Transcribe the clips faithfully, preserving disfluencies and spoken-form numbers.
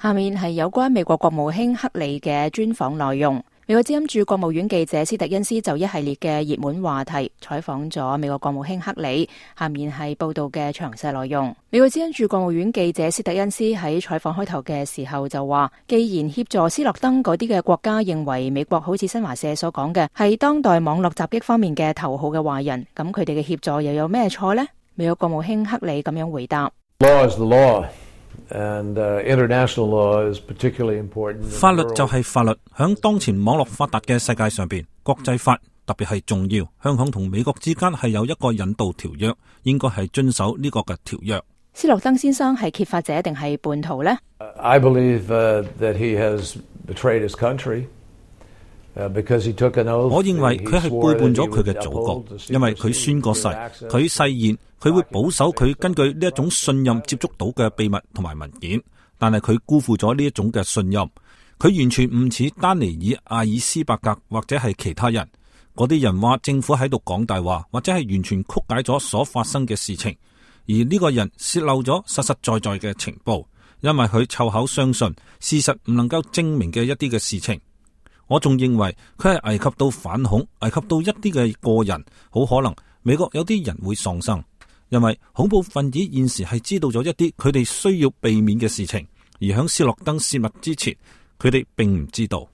下面係有關美國國務卿克里嘅專訪內容。美國之音駐國務院記者斯特恩斯就一系列嘅熱門話題採訪咗美國國務卿克里。下面係報道嘅詳細內容。美國之音駐國務院記者斯特恩斯喺採訪開頭嘅時候就話，既然協助斯諾登嗰啲嘅國家認為美國好似新華社所講嘅係當代網絡襲擊方面嘅頭號嘅壞人，咁佢哋嘅協助又有咩錯呢？美國國務卿克里咁樣回答。Law is the law. And, uh, international law is particularly important. 法律就係法律，響當前網絡發達嘅世界上邊，國際法特別係重要。香港同美國之間係有一個引渡條約，應該係遵守呢個嘅條約。斯諾登先生係揭發者定係叛徒呢？ I believe uh, that he has betrayed his country. Uh, because he took an oath. 我認為佢係背叛咗佢嘅祖國，因為佢宣過誓，佢誓言佢會保守佢根據呢一種信任接觸到嘅秘密同埋文件，但係佢辜負咗呢一種嘅信任。佢完全唔似丹尼爾、阿爾斯伯格或者係其他人，嗰啲人話政府喺度講大話，或者係完全曲解咗所發生嘅事情，而呢個人洩漏咗實實在在嘅情報，因為佢湊口相信事實唔能夠證明嘅一啲嘅事情。我仲認為佢係危及到反恐，危及到一啲嘅個人，好可能美國有啲人會喪生，因為恐怖分子現時係知道咗一啲佢哋需要避免嘅事情，而響斯諾登泄密之前，佢哋並唔知道。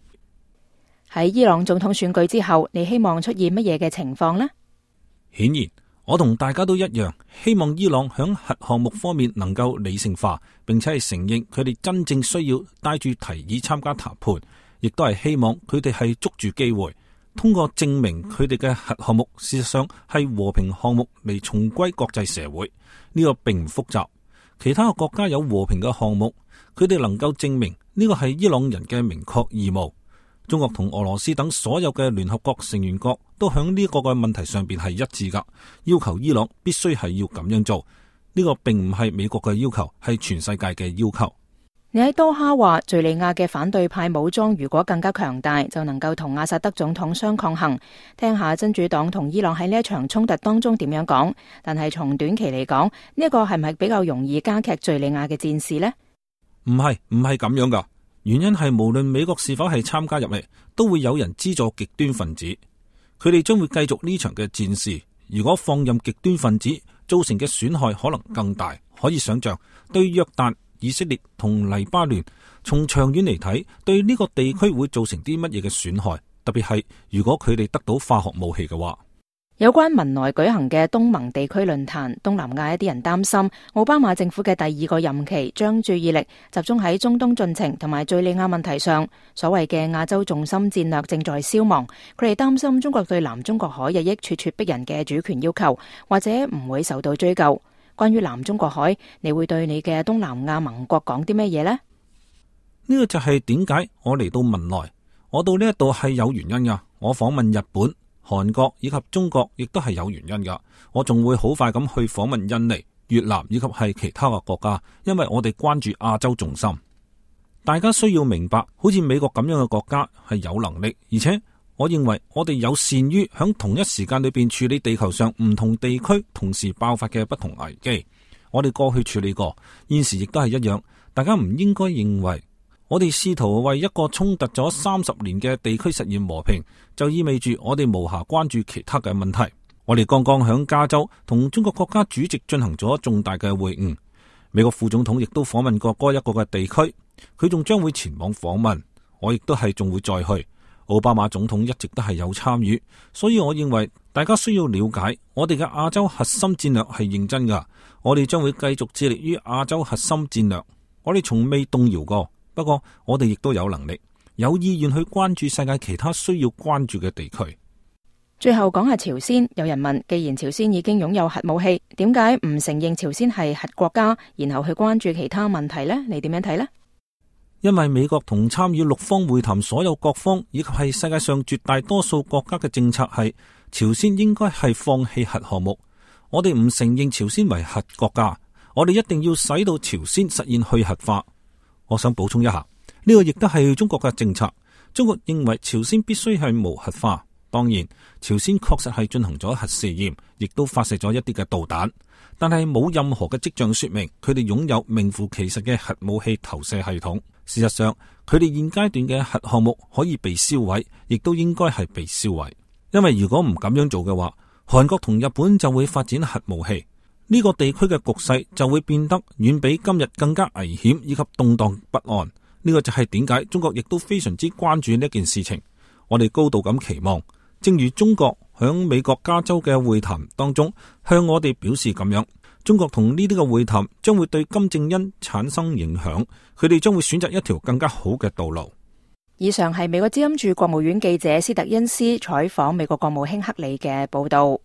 喺伊朗總統選舉之後，你希望出現乜嘢嘅情況呢？顯然，我同大家都一樣，希望伊朗響核項目方面能夠理性化，並且係承認佢哋真正需要帶住提議參加談判。亦都係希望佢哋係捉住機會，通過證明佢哋嘅核項目事實上係和平項目嚟重歸國際社會。呢個並唔複雜，其他嘅國家有和平嘅項目，佢哋能夠證明呢個係伊朗人嘅明確義務。中國同俄羅斯等所有嘅聯合國成員國都響呢個嘅問題上邊係一致噶，要求伊朗必須係要咁樣做。呢個並唔係美國嘅要求，係全世界嘅要求。你喺多哈話，敘利亞嘅反對派武裝如果更加強大，就能夠同阿薩德總統相抗衡。聽下真主黨同伊朗喺呢一場衝突當中點樣講。但係從短期嚟講，呢一個係唔係比較容易加劇敘利亞嘅戰事呢？唔係，唔係咁樣噶。原因係無論美國是否係參加入嚟，都會有人資助極端分子，佢哋將會繼續呢場嘅戰事。如果放任極端分子造成嘅損害可能更大，可以想象對約旦、以色列同黎巴嫩，從長遠嚟睇，對呢個地區會造成啲乜嘢嘅損害？特別係如果佢哋得到化學武器嘅話。有關文萊舉行嘅東盟地區論壇，東南亞一啲人擔心奧巴馬政府嘅第二個任期將注意力集中喺中東進程同埋敘利亞問題上，所謂嘅亞洲重心戰略正在消亡。佢哋擔心中國對南中國海日益咄咄逼人嘅主權要求，或者唔會受到追究。關於南中國海，你會對你嘅東南亞盟國講啲咩嘢呢？呢個就係點解我嚟到文萊，我到呢一度係有原因噶。我訪問日本、韓國以及中國，亦都係有原因噶。我仲會好快咁去訪問印尼、越南以及係其他嘅國家，因為我哋關注亞洲重心。大家需要明白，好似美國咁樣嘅國家係有能力，而且我認為我哋有善於響同一時間裏邊處理地球上唔同地區同時爆發嘅不同危機。我哋過去處理過，現時亦都係一樣。大家唔應該認為我哋試圖為一個衝突咗三十年嘅地區實現和平，就意味住我哋無暇關注其他嘅問題。我哋剛剛響加州同中國國家主席進行咗重大嘅會晤，美國副總統亦都訪問過嗰一個嘅地區，佢仲將會前往訪問，我亦都係仲會再去。奧巴馬總統一直都係有參與，所以我認為大家需要了解我哋嘅亞洲核心戰略係認真噶。我哋將會繼續致力於亞洲核心戰略，我哋從未動搖過。不過我哋亦都有能力、有意願去關注世界其他需要關注嘅地區。最後講下朝鮮，有人問，既然朝鮮已經擁有核武器，點解唔承認朝鮮係核國家，然後去關注其他問題呢？你點樣睇呢？因為美國同參與六方會談所有各方以及係世界上絕大多數國家嘅政策係，朝鮮應該係放棄核項目。我哋唔承認朝鮮為核國家，我哋一定要使到朝鮮實現去核化。我想補充一下，呢個亦都係中國嘅政策。中國認為朝鮮必須係無核化，當然，朝鮮確實係進行咗核試驗，亦都發射咗一啲嘅導彈，但係冇任何嘅跡象說明佢哋擁有名副其實嘅核武器投射系統。事實上，佢哋現階段嘅核項目可以被銷毀，亦都應該係被銷毀。因為如果唔咁樣做嘅話，韓國同日本就會發展核武器，呢個地區嘅局勢就會變得遠比今日更加危險以及動盪不安。呢個就係點解中國亦都非常之關注呢件事情。我哋高度咁期望，正如中國響美國加州嘅會談當中向我哋表示咁樣，中國同呢啲嘅會談將會對金正恩產生影響，佢哋將會選擇一條更加好嘅道路。以上係美國之音駐國務院記者斯特恩斯採訪美國國務卿克里嘅報道。